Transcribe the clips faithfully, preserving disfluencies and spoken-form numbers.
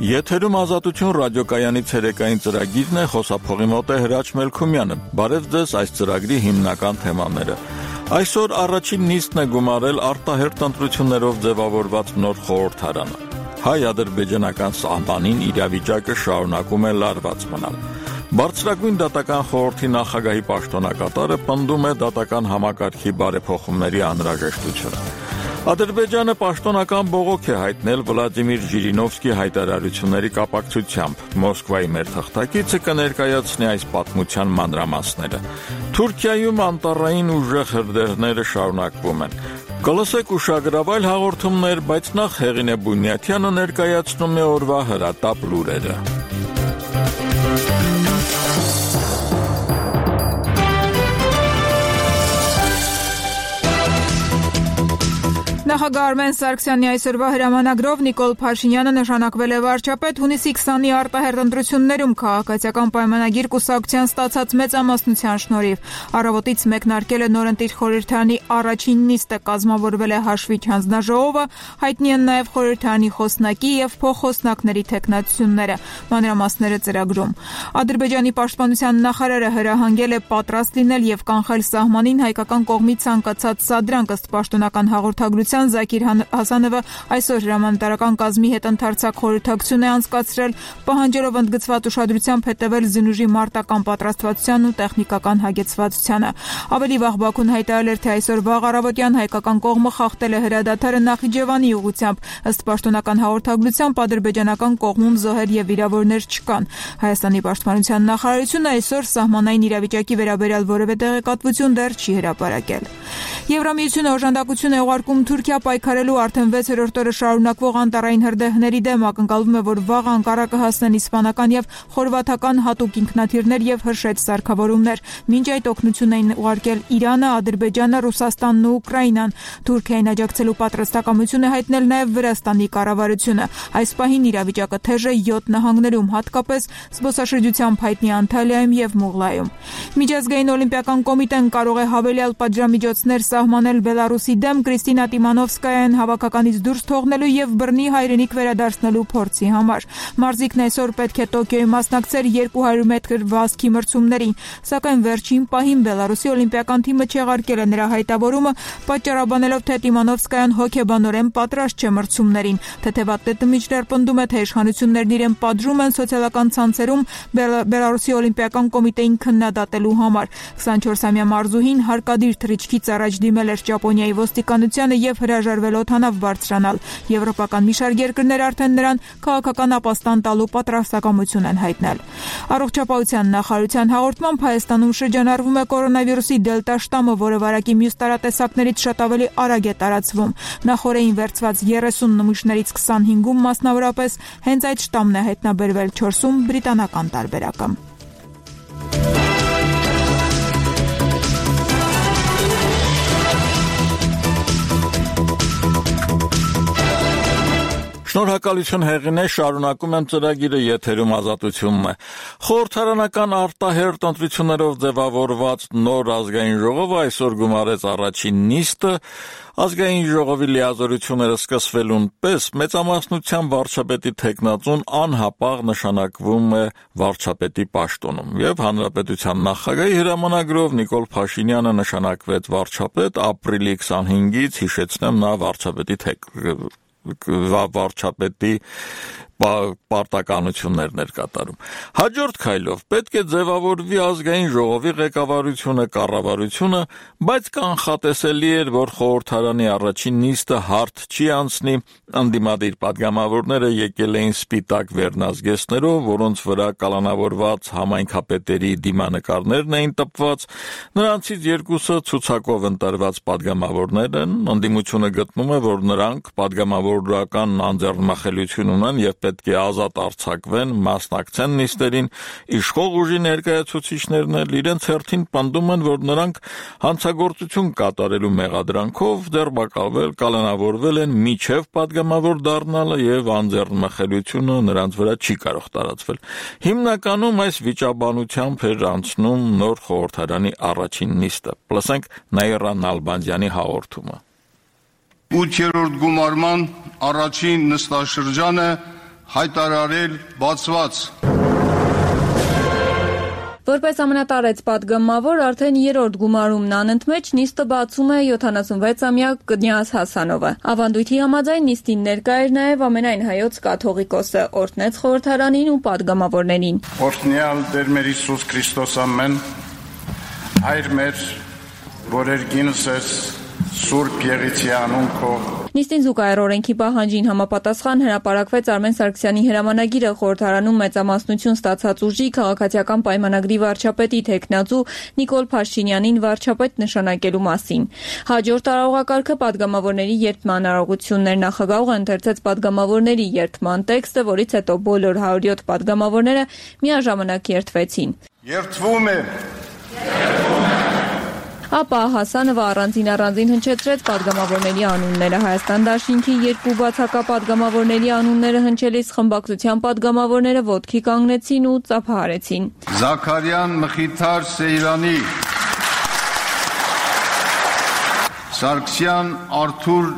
Եթերում Ազատություն ռադիոկայանի ցերեկային ծրագիրն է, խոսափողի մոտ է Հրաչ Մելքումյանը։ Բարև ձեզ այս ծրագրի հիմնական թեմաները։ Այսօր առաջին նիստն է գումարել արտահերթ ընտրություններով ձևավորված նոր խորհրդարանը։ Հայ-ադրբեջանական սահմանին իրավիճակը շարունակում է լարված մնալ։ Բարձրագույն դատական խորհրդի նախագահի պաշտոնակատարը պնդում է դատական համակարգի բարեփոխումների անհրաժեշտությունը։ Ադրբեջանը պաշտոնական բողոք է հայտնել Վլադիմիր Ժիրինովսկի հայտարարությունների կապակցությամբ։ Մոսկվայի մեր թղթակիցը կներկայացնի այս պատմության մանրամասները։ Թուրքիայում անտառային ուժեղ հրդեհները շարունակվում են։ Կլսեք ուշագրավայր հաղորդումներ, բայց նախ Հեղինե Բունյաթյանը ներկայացնում է օրվա հրատապ լուրերը։ Նախագահ Արմեն Սարգսյանի այսօրվա հրամանագրով Նիկոլ Փաշինյանը նշանակվել է վարչապետ հունիսի քսանի արտահերթ ընտրություններում քաղաքացիական պայմանագիր կուսակցության ստացած մեծամասնության շնորհիվ։ Առավոտից մեկնարկել է նորընտիր խորհրդարանի առաջին նիստը, կազմավորվել է հաշվիչ հանձնաժողովը, հայտնի են նաև խորհրդարանի խոսնակի եւ փոխխոսնակների թեկնածությունները։ Մանրամասները ծրագրում։ Ադրբեջանի պաշտպանության նախարարը հրահանգել է պատրաստ լինել եւ կանխել սահմանին հայկական կողմից ցանկացած սադրանք ըստ պաշտոնական հաղորդագրության Զաքիր Հասանովը այսօր հրամանատարական կազմի հետ ընդարձակ խորհրդակցություն է անցկացրել, պահանջելով ընդգծված ուշադրությամբ հետևել զինուժի մարտական պատրաստվածությանն ու տեխնիկական հագեցվածությանը։ Ավելի վաղ Բաքուն հայտարարել էր, թե այսօր վաղ առավոտյան հայկական կողմը խախտել է հրադադարը Նախիջևանի ուղղությամբ։ Ըստ պաշտոնական հաղորդագրությամբ ադրբեջանական կողմում զոհեր եւ վիրավորներ չկան։ Հայաստանի պաշտպանության նախարարությունը այսօր սահմանային իրավիճակի վերաբերյալ որևէ տեղեկատվություն դեռ չի հրապարակել։ Եվրամիությունը օժանդակություն է ուղարկում Թուրքիա պայքարելու արդեն վեցերորդ օրը շարունակվող անտառային հրդեհների դեմ, ակնկալվում է, որ վաղ Անկարա կհասնեն իսպանական եւ խորվաթական հատուկ ինքնաթիռներ եւ հրշեջ սարքավորումներ։ Մինչ այդ օգնություն էին ուղարկել Իրանը, Ադրբեջանը, Ռուսաստանն ու Ուկրաինան։ Թուրքիային աջակցելու պատրաստակամություն է հայտնել նաեւ Վրաստանի կառավարությունը։ Այս պահին իրավիճակը թեժ է յոթ նահանգներում, հատկապես զբոսաշրջությամբ հայտնի Անտալիայում եւ Մուղլայում։ Միջազգային օլիմպիական կոմիտեն կարող է հավելյալ պատժամիջոցներ սահմանել Բելարուսի դեմ Կրիստինա Տիմանովսկայան հավաքականից դուրս թողնելու եւ բռնի հայրենիք վերադարձնելու փորձի համար։ Մարզիկն այսօր պետք է Տոկիոյում մասնակցեր երկու հարյուր մետր վազքի մրցումներին, սակայն վերջին պահին Բելարուսի օլիմպիական թիմը չեղարկել է նրա հայտավորումը, պատճառաբանելով, թե Տիմանովսկայան հոգեբանորեն պատրաստ չէ մրցումներին։ Թեթևատետը մինչդեռ պնդում է, թե իշխանություններն իրեն պատժում են սոցիալական ցանցերում Բելարուսի օլիմպիական կոմիտեին քննադատելու համար։ քսանչորսամյա մարզուհին հարկադիր թռիչքից առաջ դիմել էր Ճապոնիայի ոստիկանությանը եւ հրաժարվել օդանավ բարձրանալ։ Եվրոպական մի շարք երկրներ արդեն նրան քաղաքական ապաստան տալու պատրաստակամություն են հայտնել։ Առողջապահության նախարարության հաղորդմամբ Հայաստանում շրջանառվում է կորոնավիրուսի դելտա շտամը, որը վարակի մյուս տարատեսակներից շատ ավելի արագ է տարածվում։ Նախորդին վերցված երեսուն նմուշներից քսանհինգում մասնավորապես հենց այդ շտամն է հայտնաբերվել, չորսում բրիտանական տարբերակը։ Շնորհակալություն Հեղինե, շարունակում եմ ծրագիրը, եթերում Ազատությունն է։ Խորհրդարանական արտահերթ ընտրություններով ձևավորված նոր ազգային ժողովը այսօր գումարեց առաջին նիստը։ Ազգային ժողովի լիազորությունները սկսվելուն պես մեծամասնությամբ վարչապետի թեկնածուն անհապաղ նշանակվում է վարչապետի պաշտոնում, եւ հանրապետության նախագահի հրամանագրով Նիկոլ Փաշինյանը նշանակվեց վարչապետ ապրիլի քսանհինգից, հիշեցնեմ, նա վարչապետի թեք վարչապետի պարտականություններն էր կատարում։ Հաջորդ քայլով պետք է ձևավորվի ազգային ժողովի ղեկավարությունը, կառավարությունը, բայց կանխատեսելի էր, որ խորհրդարանի առաջին նիստը հարթ չի անցնի։ Անդիմադիր պատգամավորները եկել էին սպիտակ վերնազգեստներով, որոնց վրա կալանավորված համայնքապետերի դիմանկարներն էին տպված։ Նրանցից երկուսը ցուցակով ընտրված պատգամավորներ են։ Անդիմությունը գտնում է, որ նրանք պատգամավորական անձեռնմխելիություն ունեն եւ պետք է ազատ արձակվեն, մասնակցեն նիստերին, իշխող ուժի ներկայացուցիչներն էլ իրենց հերթին պնդում են, որ նրանք հանցագործություն կատարելու մեղադրանքով ձերբակալվել, կալանավորվել են միջև պատգամավոր դառնալը եւ անձեռնմխելիությունը նրանց վրա չի կարող տարածվել։ Հիմնականում այս վիճաբանությամբ էր անցնում նոր խորհրդարանի առաջին նիստը։ Լսենք Նաիրա Նալբանդյանի հաղորդումը։ ութերորդ գումարման առաջին նստաշրջանը հայտարարել բացված։ Որպես ամենատարեց պատգամավոր արդեն երրորդ գումարումն անընդմեջ նիստը բացում է յոթանասունվեցամյա Կնյազ Հասանովը։ Ավանդույթի համաձայն նիստին ներկա էր նաև ամենայն հայոց կաթողիկոսը, օրհնեց խորհրդարանին ու պատգամավորներին։ Օրհնյալ Տեր մեր Հիսուս Քրիստոս ամեն, Հայր մեր, որ երգինս ես Սուրբ Եղիցի անուն քո։ Նիստին զուգահեռ օրենքի պահանջին համապատասխան հրապարակվեց Արմեն Սարգսյանի հրամանագիրը խորհրդարանում մեծամասնություն ստացած ուժի քաղաքացիական պայմանագրի վարչապետի թեկնածու Նիկոլ Փաշինյանին վարչապետ նշանակելու մասին։ Հաջորդ տարողակարգը պատգամավորների երդման արարողությունն էր։ Նախագահողը ընթերցեց պատգամավորների երդման տեքստը, որից հետո բոլոր հարյուր յոթ պատգամավորները միաժամանակ երդվեցին։ Երդվում է։ Ապա Հասանովը առանձին առանձին հնչեցրեց պատգամավորների անունները։ Հայաստան դաշինքի երկու բացակա պատգամավորների անունները հնչելիս խմբակցության պատգամավորները ոտքի կանգնեցին ու ծափահարեցին։ Զաքարյան Մխիթար Սեյրանի, Սարգսյան Արթուր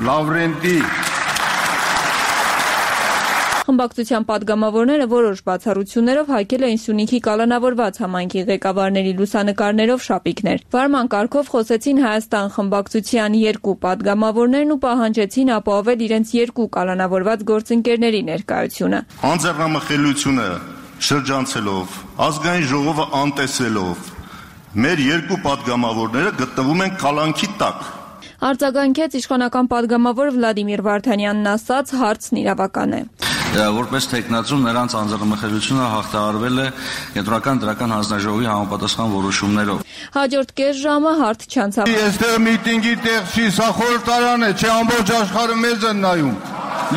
Լավրենտի։ Խմբակցության պատգամավորները որոշ բացառություններով հայկել էին Սյունիքի կալանավորված համայնքի ղեկավարների լուսանկարներով շապիկներ։ Վարման կարգով խոսեցին Հայաստան խմբակցության երկու պատգամավորներն ու պահանջեցին ապահովել իրենց երկու կալանավորված գործընկերների ներկայությունը։ Անձեռնամխելիությունը շրջանցելով, ազգային ժողովը անտեսելով, մեր երկու պատգամավորները գտնվում են կալանքի տակ։ Արձագանքեց իշխանական պատգամավոր Վլադիմիր Վարդանյանն ասաց, հարցն իրավական է։ Որպես թեկնածու նրանց անձեռնմխելիությունը հաղթահարվել է Կենտրոնական դրական հանձնաժողովի համապատասխան որոշումներով։ Հաջորդ կես ժամը հարթ չանցավ։ Այստեղ միտինգի տեղ չի, սա խորհրդարան է, չէ ամբողջ աշխարհը մեզ են նայում։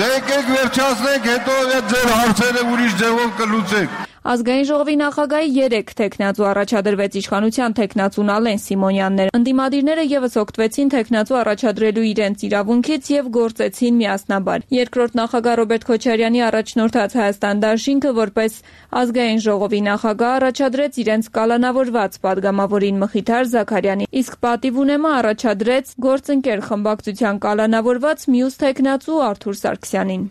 Եկեք վերջացնենք, հետո ձեր հարցերը ուրիշ ձևով կլուծեք։ Ազգային ժողովի նախագահի երեք թեկնածու առաջադրվեց իշխանության թեկնածուն Ալեն Սիմոնյաններ։ Ընդդիմադիրները եւս օգտվեցին թեկնածու առաջադրելու իրենց իրավունքից եւ գործեցին միասնաբար։ Երկրորդ նախագահ Ռոբերտ Քոչարյանի առաջնորդած Հայաստան դաշինքը որպես ազգային ժողովի նախագահ առաջադրեց իրենց կալանավորված պատգամավորին Մխիթար Զաքարյանին, իսկ պատիվ ունեմը առաջադրեց գործընկեր խմբակցության կալանավորված մյուս թեկնածու Արթուր Սարգսյանին։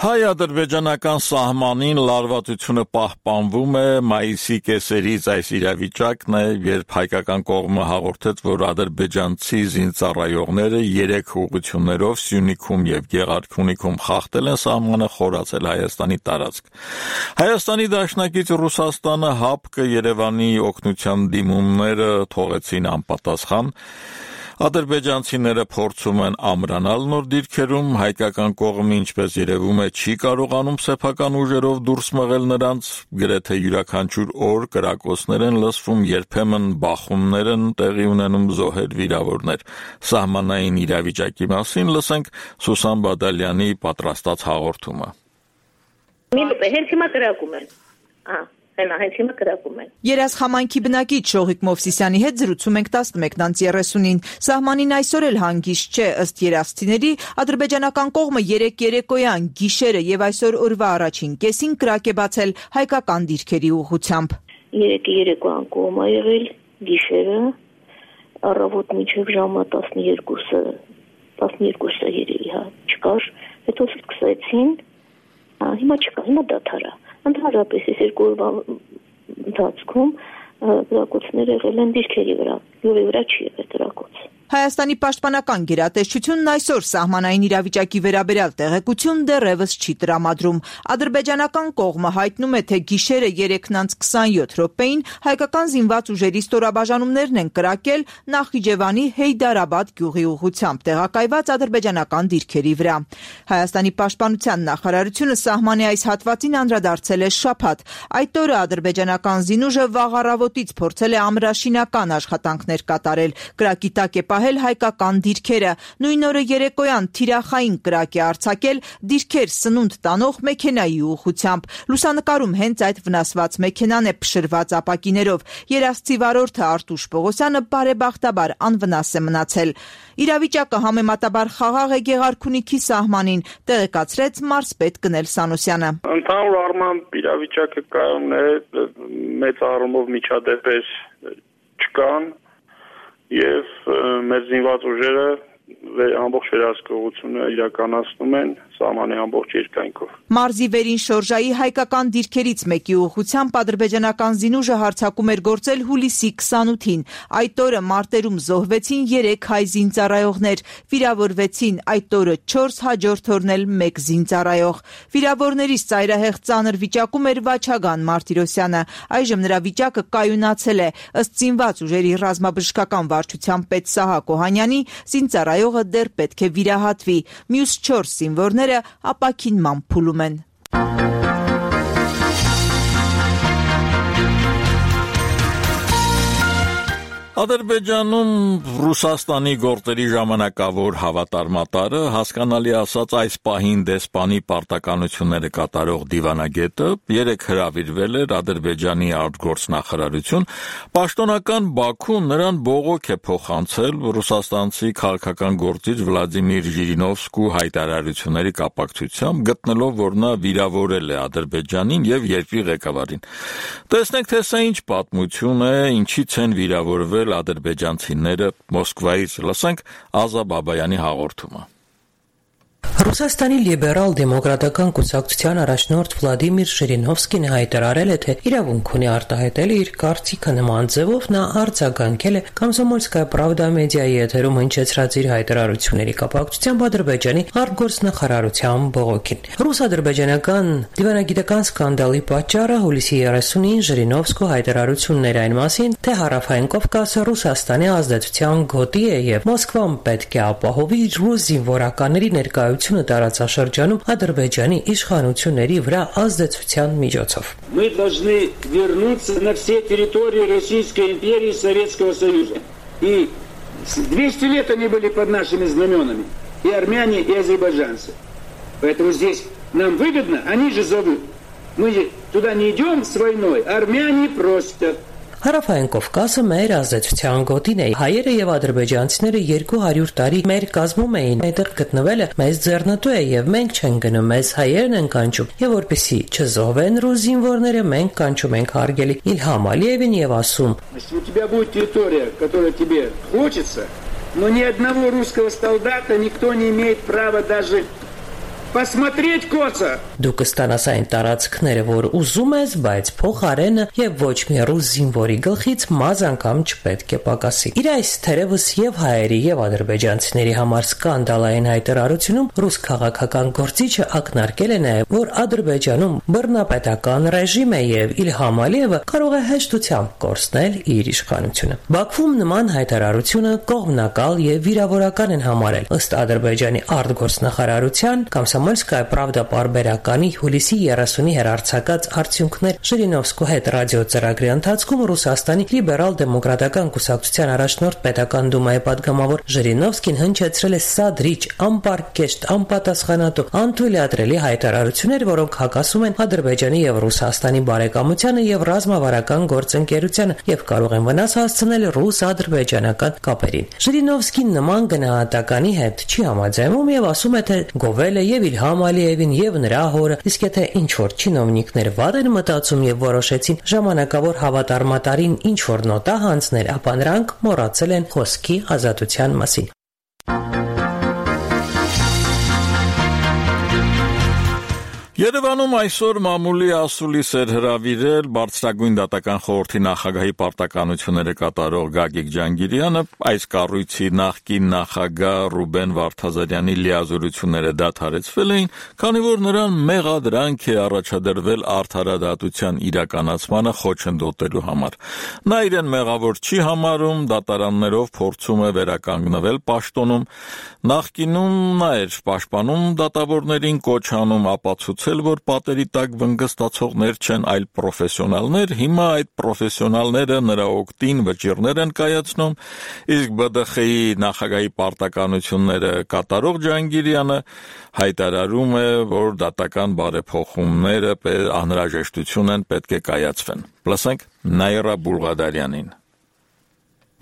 Հայ-ադրբեջանական սահմանին լարվածությունը պահպանվում է։ Մայիսի կեսերից այս իրավիճակն է, երբ հայկական կողմը հաղորդեց, որ ադրբեջանցի զինծառայողները երեք ուղղություններով Սյունիքում եւ Գեղարքունիքում խախտել են սահմանը, խորացել Հայաստանի տարածք։ Հայաստանի դաշնակից Ռուսաստանը ՀԱՊԿ Երևանի օգնության դիմումները թողեցին անպատասխան։ Ադրբեջանցիները փորձում են ամրանալ նոր դիրքերում, հայկական կողմը, ինչպես երևում է, չի կարողանում սեփական ուժերով դուրս մղել նրանց, գրեթե յուրաքանչյուր օր կրակոցներ են լսվում, երբեմն բախումներ են տեղի ունենում, զոհեր, վիրավորներ։ Սահմանային իրավիճակի մասին լսենք Սուսան Բադալյանի պատրաստած հաղորդումը։ Հենց հիմա կրակում են։ Ահա Հենա, հենց հիմա կրակում են։ Երազ խամայնքի բնակիչ Շողիկ Մովսիսյանի հետ զրուցում ենք տասնմեկն երեսունին։ Սահմանին այսօր էլ հանգիստ չէ, ըստ երազցիների, ադրբեջանական կողմը երեք երեկոյան, գիշերը եւ այսօր օրվա առաջին կեսին կրակ է բացել հայկական դիրքերի ուղղությամբ։ Երեկը երեկոյան կողմ ա եղել, գիշերը, առավոտ մինչև ժամը տասնյոթը, տասնյոթը երևի, հա, չկար, հետո սկսեցին, հիմա չկա, հիմա դադար ա։ Ընդհանրապես այս երկու օրվա ընթացքում կրակոցներ եղել են դիրքերի վրա, յուղի վրա չի եղել կրակոց։ Հայաստանի պաշտպանական գերատեսչությունն այսօր սահմանային իրավիճակի վերաբերյալ տեղեկություն դեռևս չի տրամադրում։ Ադրբեջանական կողմը հայտնում է, թե գիշերը երեքն անց քսանյոթ րոպեին հայկական զինված ուժերի ստորաբաժանումներն են կրակել Նախիջևանի Հեյդարաբադ գյուղի ուղղությամբ տեղակայված ադրբեջանական դիրքերի վրա։ Հայաստանի պաշտպանության նախարարությունը սահմանի այս հատվածին անդրադարձել է շաբաթ։ Այդ օրը ադրբեջանական զինուժը վաղ առավոտից փորձել է ամրաշինական աշխատանքներ կատարել։ Կրակի տակ է պահել հայկական դիրքերը։ Նույն օրը երեկոյան թիրախային կրակ է արձակել դիրքեր սնունդ տանող մեքենայի ուղղությամբ։ Լուսանկարում հենց այդ վնասված մեքենան է փշրված ապակիներով։ Երազցի վարորդը Արտուշ Պողոսյանը բարեբախտաբար անվնաս է մնացել։ Իրավիճակը համեմատաբար խաղաղ է Գեղարքունիքի սահմանին, տեղեկացրեց մարզպետ Գնել Սանոսյանը։ Ընդհանուր առմամբ իրավիճակը կայուն է, մեծ առումով միջադեպեր չկան, եւ մեր զինված ուժերը ամբողջ վերահսկողությունը իրականացնում են սահմանի ամբողջ երկայնքով։ Մարզի վերին շորժայի հայկական դիրքերից մեկի ուղղությամբ ադրբեջանական զինուժը հարձակում էր գործել հուլիսի քսանութին։ Այդ օրը մարտերում զոհվեցին երեք հայ զինծառայողներ, վիրավորվեցին այդ օրը չորս, հաջորդ օրն էլ մեկ զինծառայող։ Վիրավորներից ծայրահեղ ծանր վիճակում էր Վաչագան Մարտիրոսյանը։ Այժմ նրա վիճակը կայունացել է։ Ըստ զինված ուժերի ռազմաբժշկական վարչության պետ Սահակ Օհանյանի, զինծառայողը դեռ պետք է վիրահատվի։ Մյուս չորս զինվորները ապաքինման փուլում են։ Ադրբեջանում Ռուսաստանի գործերի ժամանակավոր հավատարմատարը, հասկանալի ասած այս պահին դեսպանի պարտականությունները կատարող դիվանագետը երեկ հրավիրվել էր Ադրբեջանի արտգործնախարարություն, պաշտոնական Բաքուն նրան բողոք է փոխանցել ռուսաստանցի քաղաքական գործիչ Վլադիմիր Ժիրինովսկու հայտարարությունների կապակցությամբ, գտնելով, որ նա վիրավորել է Ադրբեջանին եւ երկրի ղեկավարին։ Տեսնենք, թե սա ինչ պատմություն է, ինչից են վիրավորվել ադրբեջանցիները Մոսկվայից, լսենք Ազա Բաբայանի հաղորդումը։ Ռուսաստանի լիբերալ դեմոկրատական կուսակցության առաջնորդ Վլադիմիր Ժիրինովսկին հայտարարել է, թե իրավունք ունի արտահայտել իր կարծիքը նման ձևով նա արձագանքել է Կոմսոմոլսկայա Պրավդա մեդիայի եթերում հնչեցրած իր հայտարարությունների կապակցությամբ Ադրբեջանի արտգործնախարարության բողոքին։ Ռուս-ադրբեջանական դիվանագիտական սկանդալի պատճառը հուլիսի երեսունին Ժիրինովսկու հայտարարությունն էր այն մասին, թե Հարավային Կովկասը Ռուսաստանի ազդեցության գոտի է եւ Մոսկվան պետք է ապահովի ռուս զինվորականների ներկայությունը տարածաշրջանում Ադրբեջանի իշխանությունների վրա ազդեցության միջոցով։ Мы должны вернуться на все территории Российской империи и Советского Союза. И двести лет они были под нашими знаменами, и армяне, и азербайджанцы. Поэтому здесь нам выгодно, они же зовут. Мы туда не идем с войной, армяне просят. Հարավային Կովկասը մեր ազդեցության գոտին է։ Հայերը եւ ադրբեջանցիները երկու հարյուր տարի մեր կազմում էին։ Այդտեղ գտնվելը մեզ ձեռնտու է եւ մենք չենք գնում, մեզ հայերն են կանչում։ Եվ որպեսի չզոհվեն ռուս զինվորները, մենք կանչում ենք հարգելի Իլհամ Ալիևին եւ ասում. Если у тебя будет территория, которая тебе хочется, но ни одного русского солдата никто не имеет права даже посмотреть коца. Դու կստանաս այն տարածքները, որ ուզում ես, բայց փոխարենը եւ ոչ մի ռուս զինվորի գլխից մազ անգամ չպետք է պակասի։ Իր այս թերևս եւ հայերի եւ ադրբեջանցիների համար սկանդալային հայտարարությունում ռուս քաղաքական գործիչը ակնարկել է նաեւ, որ Ադրբեջանում բռնապետական ռեժիմ է եւ Իլհամ Ալիևը կարող է հեշտությամբ կորցնել իր իշխանությունը։ Բաքվում նման հայտարարությունը կողմնակալ եւ վիրավորական են համարել։ Ըստ Ադրբեջանի արտգործնախարարության Կոմսոմոլսկայա Պրավդա պարբերականի հուլիսի երեսունի հեռարձակած արդյունքներ Ժիրինովսկու հետ ռադիոծրագրի ընթացքում Ռուսաստանի լիբերալ դեմոկրատական կուսակցության առաջնորդ պետական դումայի падգամավոր Ժիրինովսկին հնչեցրել է սադրիչ, անպարկեշտ, անպատասխանատու, անթույլատրելի հայտարարություններ, որոնք հակասում են Ադրբեջանի եւ Ռուսաստանի բարեկամությանը եւ ռազմավարական գործընկերությանը եւ կարող են վնաս հասցնել ռուս-ադրբեջանական կապերին։ Ժիրինովսկին նման գնահատականի հետ չի համաձայնում եւ ասում է, թե գովել է եւ Իլհամ Ալիևին եւ նրա հորը, իսկ եթե ինչ-որ չինովնիկներ վատ են մտածում եւ որոշեցին ժամանակավոր հավատարմատարին ինչ-որ նոտա հանձնել, ապա նրանք մոռացել են խոսքի ազատության մասին։ Երևանում այսօր մամուլի ասուլիս էր հրավիրել բարձրագույն դատական խորհրդի նախագահի պարտականությունները կատարող Գագիկ Ջանգիրյանը, այս կառույցի նախկին նախագահ Ռուբեն Վարդազարյանի լիազորությունները դադարեցվել էին, քանի որ նրան մեղադրանք է առաջադրվել արդարադատության իրականացմանը խոչընդոտելու համար։ Նա իրեն մեղավոր չի համարում, դատարաններով փորձում է վերականգնվել պաշտոնում, նախկինում նա էր պաշտպանում դատավորներին, կոչ անում ապացուցել, որ պատերի տակ վնգստացողներ չեն, այլ պրոֆեսիոնալներ, հիմա այդ պրոֆեսիոնալները նրա օգտին վճիռներ են կայացնում, իսկ B D X-ի նախագահի պարտականությունները կատարող Ջանգիրյանը հայտարարում է, որ դատական բարեփոխումները անհրաժեշտություն են, պետք է կայացվեն։ Լսենք Նաիրա Բուլղադարյանին։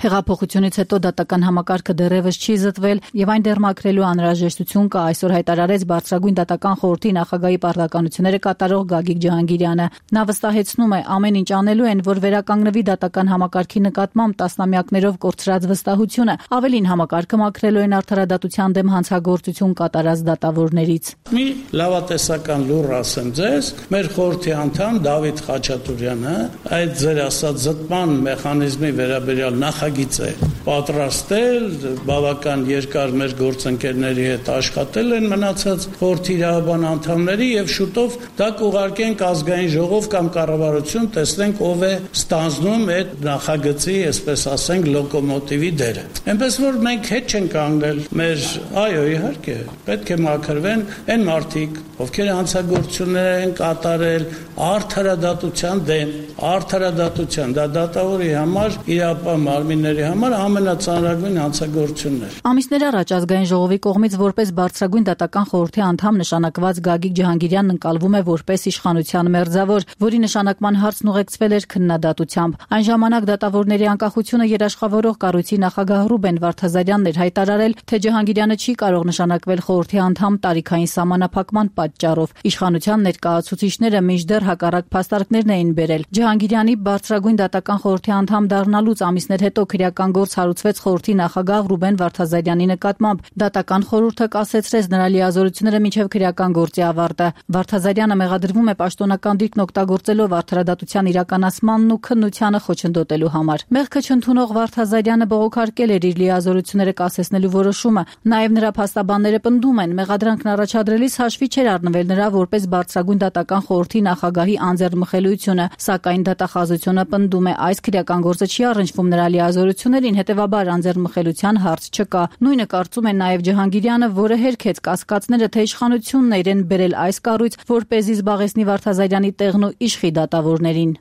Հեղափոխությունից հետո դատական համակարգը դեռևս չի զտվել եւ այն դեռ մաքրելու անհրաժեշտություն կա, այսօր հայտարարեց Բարձրագույն դատական խորհրդի նախագահի պարտականությունները կատարող Գագիկ Ջհանգիրյանը։ Նա վստահեցնում է, ամեն ինչ անելու են, որ վերականգնվի դատական համակարգի նկատմամբ տասնամյակներով կորցրած վստահությունը, ավելին համակարգը մաքրելու են արդարադատության դեմ հանցագործություն կատարած դատավորներից։ Մի լավատեսական լուր ասեմ ձեզ, մեր խորհրդի անդամ Դավիթ Խաչատուրյանը այդ ձեր ասած զտման մեխանիզմի վերաբերյալ նախագիծ է պատրաստել, բավական երկար մեր գործընկերների հետ աշխատել են մնացած խորհրդի իրավաբան անդամների եւ շուտով դա կուղարկենք ազգային ժողով կամ կառավարություն, տեսնենք ով է ստանձնում այդ նախագծի, այսպես ասենք, լոկոմոտիվի դերը։ Այնպես որ մենք հետ չենք կանգնել մեր, այո, իհարկե, պետք է մաքրվեն այն մարդիկ, ովքեր հանցագործություններ են կատարել արդարադատության դեմ, արդարադատության, դա դատավորի համար, իրավապահ մարմինների համար ամենածանրագույն հանցագործությունն էր։ Ամիսներ առաջ ազգային ժողովի կողմից որպես Բարձրագույն դատական խորհրդի անդամ նշանակված Գագիկ Ջհանգիրյանն ընկալվում է որպես իշխանության մերձավոր, որի նշանակման հարցն ուղեկցվել էր քննադատությամբ։ Այն ժամանակ դատավորների անկախությունը երաշխավորող կառույցի նախագահ Ռուբեն Վարդազարյանն էր հայտարարել, թե Ջհանգիրյանը չի կարող նշանակվել խորհրդի անդամ տարիքային սահմանափակման պատճառով։ Իշխանության ներկայացուցիչները մինչդեռ հակառակ փաստարկներն էին բերել։ Ջհանգիրյանի Բարձրագույն դատական խորհրդի անդամ դառնալուց ամիսներ հետո քրեական գործ հարուցվեց խորհրդի նախագահ Ռուբեն Վարդազարյանի նկատմամբ։ Դատական խորհուրդը կասեցրեց նրա լիազորությունները մինչև քրեական գործի ավարտը։ Վարդազարյանը մեղադրվում է պաշտոնական դիրքն օգտագործելով արդարադատության իրականացմանն ու քննությանը խոչընդոտելու համար։ Մեղքը չընդունող Վարդազարյանը բողոքարկել էր իր լիազորությունները կասեցնելու որոշումը։ Նաև նրա փաստաբանները պնդում են, մեղադրանքն առաջադրելիս հաշվի չէր առնվել նրա որպես Բարձրագույն դատական խորհրդի նախագահի անձեռնմխելիությունը, սակայն դատախազությունը պնդում է, այս քրեական գործը չի առնչվում նրա լիազորություններին, հետևաբար անձեռնմխելիության հարց չկա։ Նույնը կարծում է նաև Ջհանգիրյանը, որը հերքեց կասկածները, թե իշխանությունն է իրեն բերել այս կառույց, որպեսզի զբաղեցնի Վարդազարյանի տեղն ու իշխի դատավորներին։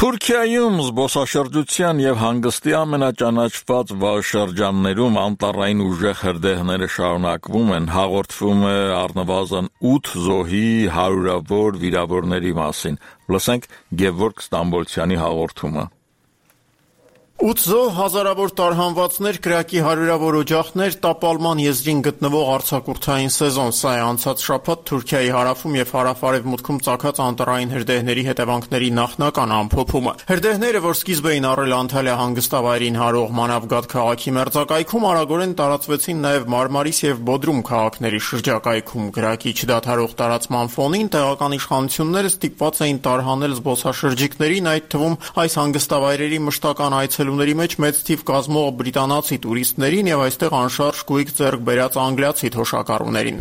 Թուրքիայում զբոսաշրջության եւ հանգստի ամենաճանաչված շրջաններում անտառային ուժեղ հրդեհները շարունակվում են, հաղորդվում է առնվազն ութ զոհի, հարյուրավոր վիրավորների մասին։ Լսենք Գևորգ Ստամբոլցյանի հաղորդումը։ ութ զոհ, հազարավոր տարհանվածներ, կրակի հարյուրավոր օջախներ, տապալման եզրին գտնվող արձակուրդային սեզոն։ Սա է անցած շաբաթ Թուրքիայի հարավում եւ հարավ-արևմուտքում ծագած անտառային հրդեհների հետևանքների նախնական ամփոփումը։ Հրդեհները, որ սկիզբ էին առել Անտալիա հանգստավայրին հարող Մանավգադ քաղաքի մերձակայքում, արագորեն տարածվեցին նաեւ Մարմարիս եւ Բոդրում քաղաքների շրջակայքում։ Կրակի չդադարող տարածման ֆոնին տեղական իշխանությունները ստիպված էին տարհանել զբոսաշրջիկներին, այդ թվում այս հանգստավայրերի մշտական այցելուների մեջ մեծ թիվ կազմող բրիտանացի տուրիստներին եւ այստեղ անշարժ գույք ձեռք բերած անգլիացի թոշակառուներին։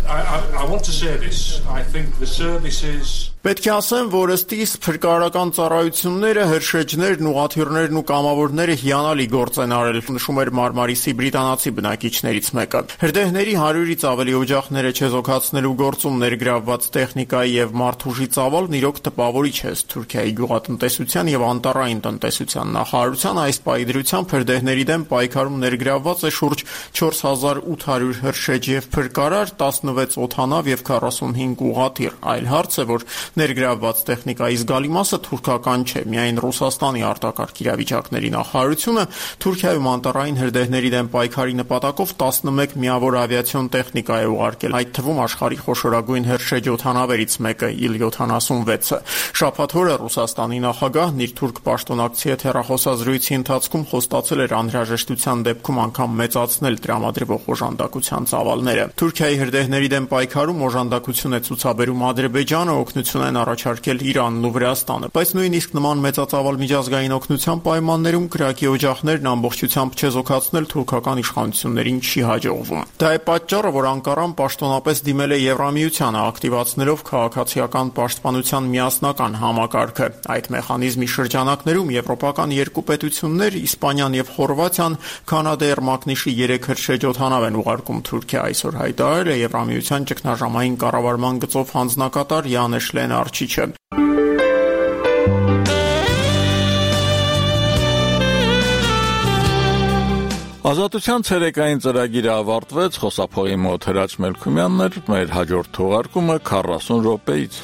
Պետք է ասեմ, որ ըստ իս փրկարարական ծառայությունները, հրշեջներն, ուղղաթիռներն ու կամավորները հիանալի գործ են արել, նշում էր Մարմարիսի բրիտանացի բնակիչներից մեկը։ Հրդեհների հարյուրից ավելի օջախները չեզոքացնելու գործում ներգրավված տեխնիկայի եւ մարդուժի ծավալն իրոք տպավորիչ է։ Թուրքիայի գյուղատնտեսության եւ անտառային տնտեսության նախարարության այս պայդրությամբ հրդեհների դեմ պայքարում ներգրավված է շուրջ չորս հազար ութ հարյուր հրշեջ եւ փրկարար, տասնվեց օդանավ եւ քառասունհինգ ուղղաթիռ։ Այլ հարց է, որ ներգրավված տեխնիկայի զգալի մասը թուրքական չէ, միայն Ռուսաստանի արտակարգ իրավիճակների նախարարությունը Թուրքիայում անտառային հրդեհների դեմ պայքարի նպատակով տասնմեկ միավոր ավիացիոն տեխնիկա է ուղարկել, այդ թվում աշխարհի խոշորագույն հրշեջ օդանավերից մեկը իլ յոթանասունվեցը։ Շաբաթ օրը Ռուսաստանի նախագահն իր թուրք պաշտոնակցի հետ հեռախոսազրույցի ընթացքում խոստացել էր անհրաժեշտության դեպքում անգամ մեծացնել տրամադրվող օժանդակության ծավալները։ Թուրքիայի հրդեհների դեմ պայքարում օժանդակություն է ցուցաբերում Ադրբեջանը, օգնություն են առաջարկել Իրանն ու Վրաստանը, բայց նույնիսկ նման մեծածավալ միջազգային օգնության պայմաններում կրակի օջախներն ամբողջությամբ չեզոքացնել թուրքական իշխանություններին չի հաջողվում։ Դա է պատճառը, որ Անկարան պաշտոնապես դիմել է Եվրամիությանը, ակտիվացնելով քաղաքացիական պաշտպանության միասնական համակարգը։ Այդ մեխանիզմի շրջանակներում եվրոպական երկու պետություններ, Իսպանիան եւ Խորվաթիան, Կանադայր մակնիշի երեք հրշեջ օդանավ են ուղարկում Թուրքիա, այսօր հայտարարել է Եվրամիության ճգնաժամային կառավարման գծով հանձնակատար Յանեշ Լենարչիչը։ Ազատության ցերեկային ծրագիրը ավարտվեց, խոսափողի մոտ Հրաչ Մելքումյանն էր, մեր հաջորդ թողարկումը քառասուն րոպեից։